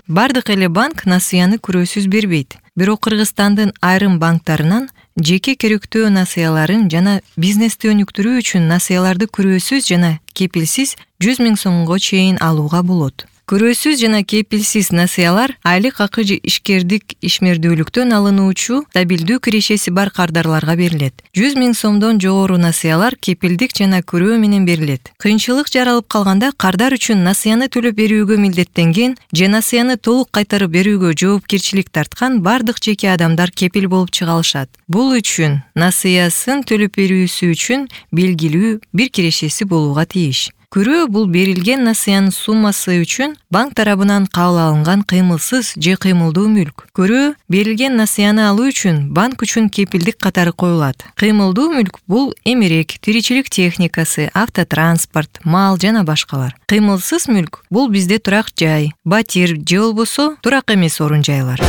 Бардык эле банк насыяны күрөөсүз бербейт. Бирок Кыргызстандын айрым банктарынан жеке керектөө насыяларын жана бизнести өнүктүрүү үчүн насыяларды күрөөсүз жана кепилсиз 100 000 сомго чейин алууга болот. Күрөөсүз жана кепилсиз насыялар айлык акы же ишкердик ишмердүүлүктөн алынуучу стабилдүү кирешеси бар кардарларга берилет. 100 000 сомдон жогору насыялар кепилдик жана күрөө менен берилет. Кыйынчылык жаралып калганда кардар үчүн насыяны төлөп берүүгө милдеттенген же насыяны толук кайтарып берүүгө жоопкерчилик тарткан бардык жеке адамдар кепил болуп чыга алышат. Бул үчүн насыясын төлөп берүүсү үчүн белгилүү бир кирешеси болууга тийиш. Күрөө бул берилген насыянын суммасы үчүн банк тарабынан кабыл алынган кыймылсыз же кыймылдуу мүлк. Күрөө берилген насыяны алуу үчүн банк үчүн кепилдик катары коюлат. Кыймылдуу мүлк бул эмерек, тиричилик техникасы, автотранспорт, мал жана башкалар. Кыймылсыз мүлк бул бизде турак жай, батир же болбосо турак эмес орун жайлар.